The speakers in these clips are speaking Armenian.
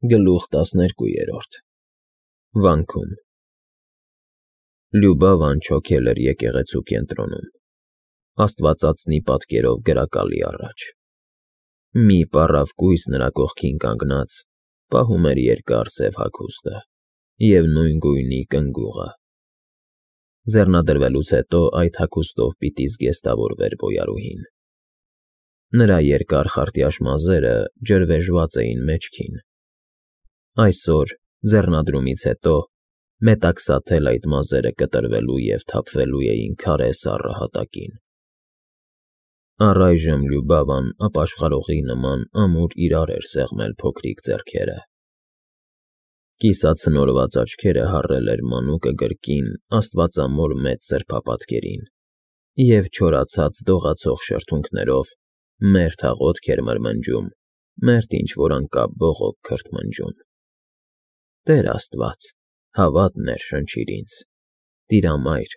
Գլուխ 12 Վանքում Լյուբավան չոքել էր եկեղեցու կենտրոնում, աստվածածնի պատկերով գրակալի առաջ։ Մի պառավ կույս նրա կողքին կանգնած, պահում էր երկար սև հագուստը և նույն գույնի կնգուղը։ Ձեռնադրվելուց հետո այդ հագուստով պիտի զգեստավորվեր բոյարուհին։ Նրա երկար խարտյաշ մազերը ջրվեժված էին մեջքին։ Այսօր, ձեռնադրումից հետո, մետաքսաթել այդ մազերը կտրվելու և թափվելու էին քարե սառը հատակին։ Առայժմ Լյուբավան ապաշխարողի նման ամուր իրար էր սեղմել փոքրիկ ձեռքերը։ Կիսացնորված աչքերը հառել էր մանուկը գրկին աստվածամոր մեծ սրբապատկերին և չորացած դողացող շրթունքներով մերթ աղոթք էր մրմնջում, մերթ ինչ֊որ անկապ բողոք քրթմնջում. «Տեր Աստված, հավատ ներշնչիր ինձ, Տիրամայր,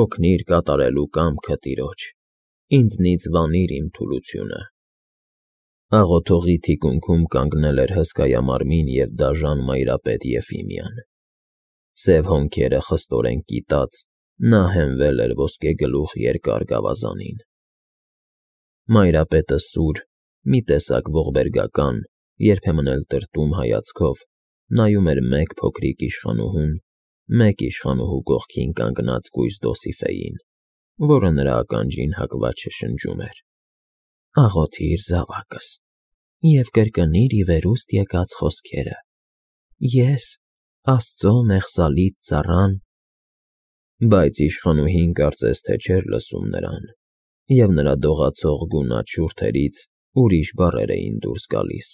օգնիր կատարելու կամքը Տիրոջ, ինձնից վանիր իմ թուլությունը»։ Աղոթողի թիկունքում կանգնել էր հսկայամարմին և դաժան Մայրապետ Եֆիմիան։ Սև հոնքերը խստորեն կիտած, նա հենվել էր ոսկեգլուխ երկար գավազանին։ Մայրապետը սուր, մի տեսակ ողբերգական, երբեմն էլ տրտում հայացքով նայում էր մեկ փոքրիկ իշխանուհուն, մեկ իշխանուհու կողքին կանգնած կույս Դոսիֆեյին, որը նրա ականջին հակված շշնջում էր. «Աղոթիր զավակս և կրկնիր ի վերուստ եկած խոսքերը. ես, Աստծո մեղսալից ծառան»։ Բայց իշխանուհին կարծես թե չէր լսում նրան, և նրա դողացող գունատ շուրթերից ուրիշ բառեր էին դուրս գալիս։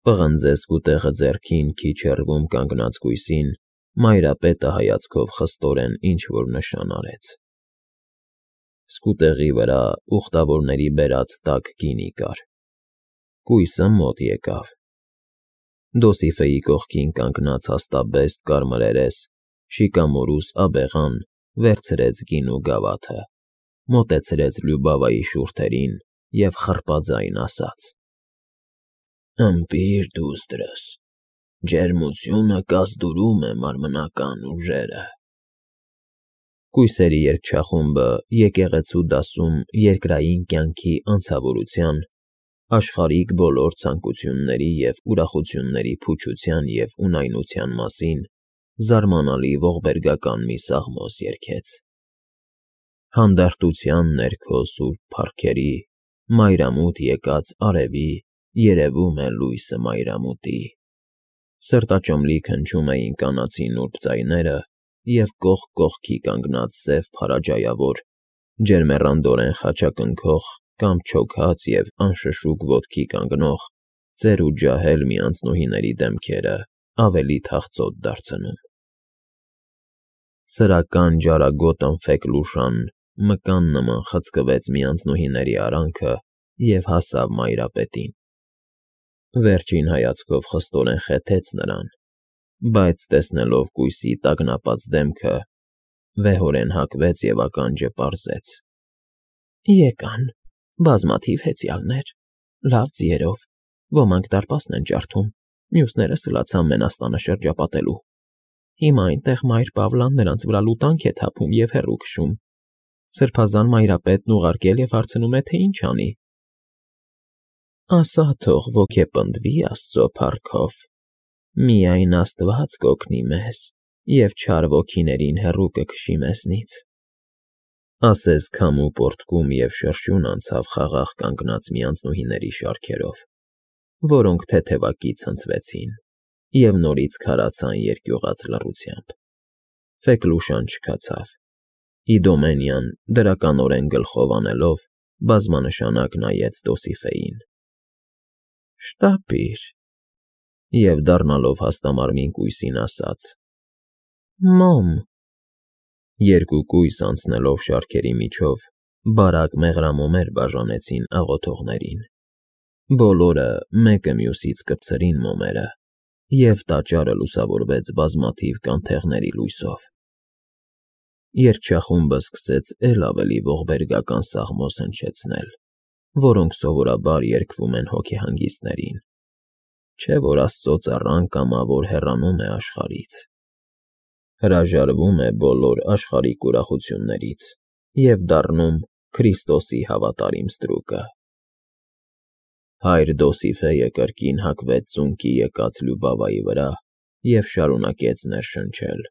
Պղնձե սկուտեղը ձեռքին քիչ հեռվում կանգնած կույսին Մայրապետը հայացքով խստորեն ինչ֊որ նշան արեց։ Սկուտեղի վրա ուխտավորների բերած տաք գինի կար։ Կույսը մոտ եկավ։ Դոսիֆեի կողքին կանգնած հաստաբեստ կարմրերես, շիկամորուս աբեղան վերցրեց գինու գավաթը, մոտեցրեց Լյուբավայի շուրթերին և խռպաձայն ասաց. «Ըմպիր դուստրս, ջերմությունը կազդուրում է մարմնական ուժերը»։ Կույսերի երգչախումբը եկեղեցու դասում երկրային կյանքի անցավորության, աշխարհիկ բոլոր ցանկությունների և ուրախությունների փուչության և ունայնության մասին զարմանալի ողբերգական մի սաղմոս երգեց. Հանդարտության ներքո սուրբ փառքերի, մայրամուտ եկած արևի, երևում է լույսը մայրամուտի։ Սրտաճմլիկ հնչում էին կանացի նուրբ ձայները, և կողք կողքի կանգնած սև փարաջայավոր, ջերմեռանդորեն խաչակնքող կամ չոքած և անշշուկ ոտքի կանգնող ծեր ու ջահել մի անձնուհիների դեմքերը ավելի թախծոտ դարձնում։ Սրական ջարագոտ ընֆեք լուշան մկան նման խցկվեց մի անձնուհիների արանքը և հասավ Մայրապետին։ Վերջին հայացքով խստորեն խեթեց նրան, բայց տեսնելով կույսի տագնապած դեմքը, վեհորեն հակվեց և ականջը պարզեց. «Եկան բազմաթիվ հեծյալներ, լավ ձիերով, ոմանք դարպասն են ջարդում, մյուսները սլացան մենաստանը շրջապատելու։ Հիմա այնտեղ Մայր Պավլան նրանց վրա լուտանք է թափում և հեռու քշում։ Սրբազան Մայրապետն ուղարկել և հարցնում է, թե ինչ անի»։ «Ասա թող ոգեպնդվի Աստծո փառքով, միայն Աստված կօգնի մեզ և չար ոգիներին հեռու կքշի մեզնից», ասես քամու պոռթկում և շրշյուն անցավ խաղաղ կանգնած մի անձնուհիների շարքերով, որոնք թեթևակի ցնցվեցին և նորից քարացան երկյուղած լռությամբ։ Ֆեքլուշան չքացավ։ Իդոմենյան, դրականորեն գլխով անելով, բազմանշանակ նայեց Դոսիֆեին։ «Շտապիր», և դառնալով հաստամարմին կույսին ասաց. «Մոմ»։ Երկու կույս անցնելով շարքերի միջով բարակ մեղրամոմեր բաժանեցին աղոթողներին։ Բոլորը մեկը մյուսից կպցրին մոմերը, և տաճարը լուսավորվեց բազմաթիվ կանթեղների լույսով։ Երգչախումբը սկսեց էլ ավելի ողբերգական սաղմոս հնչեցնել, որոնք սովորաբար երգվում են հոգեհանգիստներին։ չէ որ Աստծո ծառան կամավոր հեռանում է աշխարհից, հրաժարվում է բոլոր աշխարհիկ ուրախություններից և դառնում Քրիստոսի հավատարիմ ստրուկը։ Հայր Դոսիֆեյը կրկին հագվեց ծունկի եկած Լյուբավայի վրա և շարունակեց ներշնչել.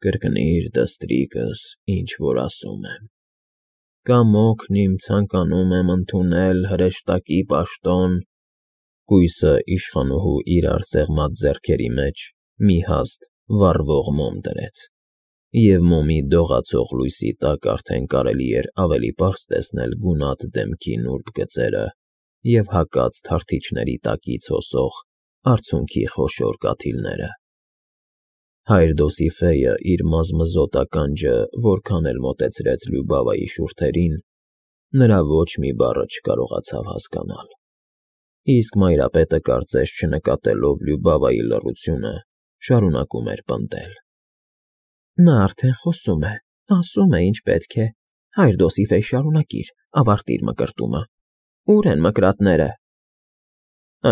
«Կրկնիր, դստրիկս, ինչ որ ասում եմ։ Կամոքն իմ ցանկանում եմ ընդունել հրեշտակի պաշտոն»։ Կույսը իշխանուհու իրար սեղմած ձեռքերի մեջ մի հաստ վառվող մոմ դրեց, և մոմի դողացող լույսի տակ արդեն կարելի էր ավելի պարզ տեսնել գունատ դեմքի նուրբ գծերը և հակած թարթիչների տակից հոսող արցունքի խոշոր կաթիլները։ Հայր Դոսիֆեյը իր մազմզոտ ականջը որքան էլ մոտեցրեց Լյուբավայի շուրթերին, նրա ոչ մի բառը չկարողացավ հասկանալ, իսկ Մայրապետը, կարծես չնկատելով Լյուբավայի լռությունը, շարունակում էր պնդել. «Նա արդեն խոսում է, ասում է, ինչ պետք է։ Հայր Դոսիֆեյ, շարունակիր, ավարտիր մկրտումը։ Ո՞ւր են մկրատները»։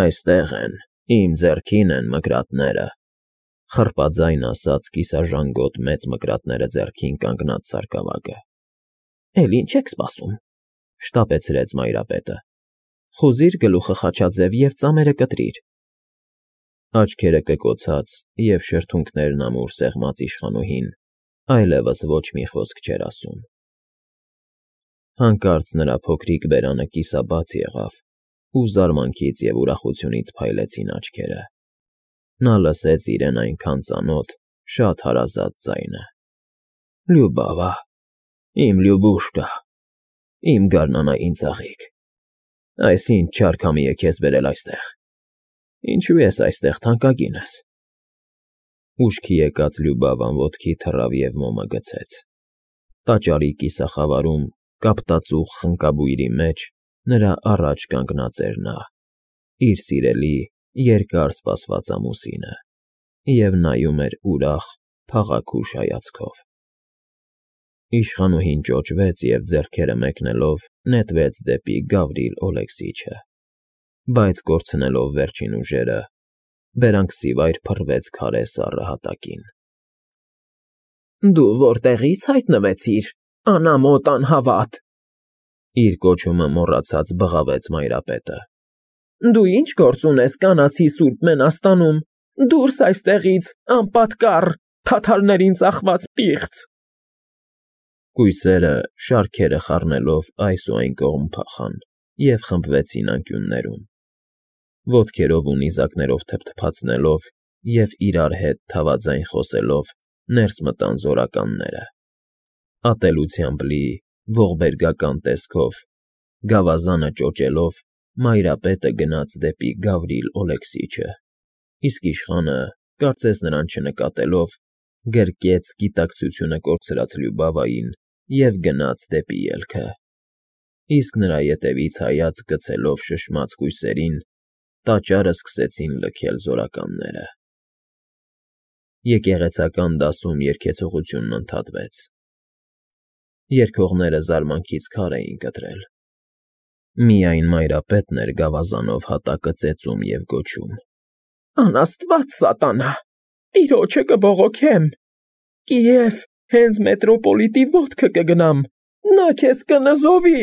«Այստեղ են, իմ ձեռքին են մկրատները», խռպաձայն ասաց կիսաժանգոտ մեծ մկրատները ձեռքին կանգնած սարկավագը։ «Էլ ինչ եք սպասում», շտապեցրեց Մայրապետը։ «Խուզիր գլուխը խաչաձև և ծամերը կտրիր»։ Աչքերը կկոցած և շրթունքներն ամուր սեղմած իշխանուհին այլևս ոչ մի խոսք չէր ասում։ Հանկարծ նրա փոքրիկ բերանը կիսաբաց եղավ, ու զարմանքից և ուրախությունից փայլեցին աչքերը։ Նա լսեց իրեն այնքան ծանոթ, շատ հարազատ ձայնը. «Լյուբավա, իմ Լյուբուշկա, իմ գարնանային ծաղիկ, այս ինչ չար քամի է քեզ բերել այստեղ։ Ինչու ես այստեղ, թանկագինս»։ Ուշքի եկած Լյուբավան ոտքի թռավ և մոմը գցեց։ Տաճարի կիսախավարում, կապտածուխ խնկաբույրի մեջ նրա առաջ կանգնած էր նա, իր սիրելի, երկար սպասված ամուսինը, և նայում էր ուրախ, փաղաքուշ հայացքով։ Իշխանուհին ճոճվեց և ձեռքերը մեկնելով նետվեց դեպի Գավրիլ Օլեքսիչը, բայց կորցնելով վերջին ուժերը, բերանքսիվայր փռվեց քարե սառը հատակին։ «Դու որտեղի՞ց հայտնվեցիր, անամոթ անհավատ», իր կոչումը մոռացած բղավեց Մայրապետը։ «Դու ինչ գործ ունես կանացի Սուրբ Մենաստանում, դուրս այստեղից, անպատկառ, թաթարներին ծախված պիղծ»։ Կույսերը, շարքերը խառնելով այս ու այն կողմ փախան և խմբվեցին անկյուններում, ոտքերով ու նիզակներով թփթփացնելով և իրար հետ թավաձայն խոսելով ներս մտան զորականները։ Ատելությամբ լի, ողբերգական տեսքով, գավազանը ճոճելով, Մայրապետը գնաց դեպի Գավրիլ Օլեքսիչը, իսկ իշխանը, կարծես նրան չնկատելով, գրկեց գիտակցությունը կորցրած Լյուբավային և գնաց դեպի ելքը, իսկ նրա ետևից հայացք գցելով շշմած կույսերին, տաճարը սկսեցին լքել զորականները։ Եկեղեցական դասում երգեցողությունն ընդհատվեց։ Երգողները զարմանքից քար էին կտրել։ Միայն Մայրապետն էր գավազանով հատակը ծեծում և գոչում. «Անաստված սատանա, տիրոջը կբողոքեմ, Կիև, հենց մետրոպոլիտի ոտքը կգնամ, նա քեզ կնզովի»։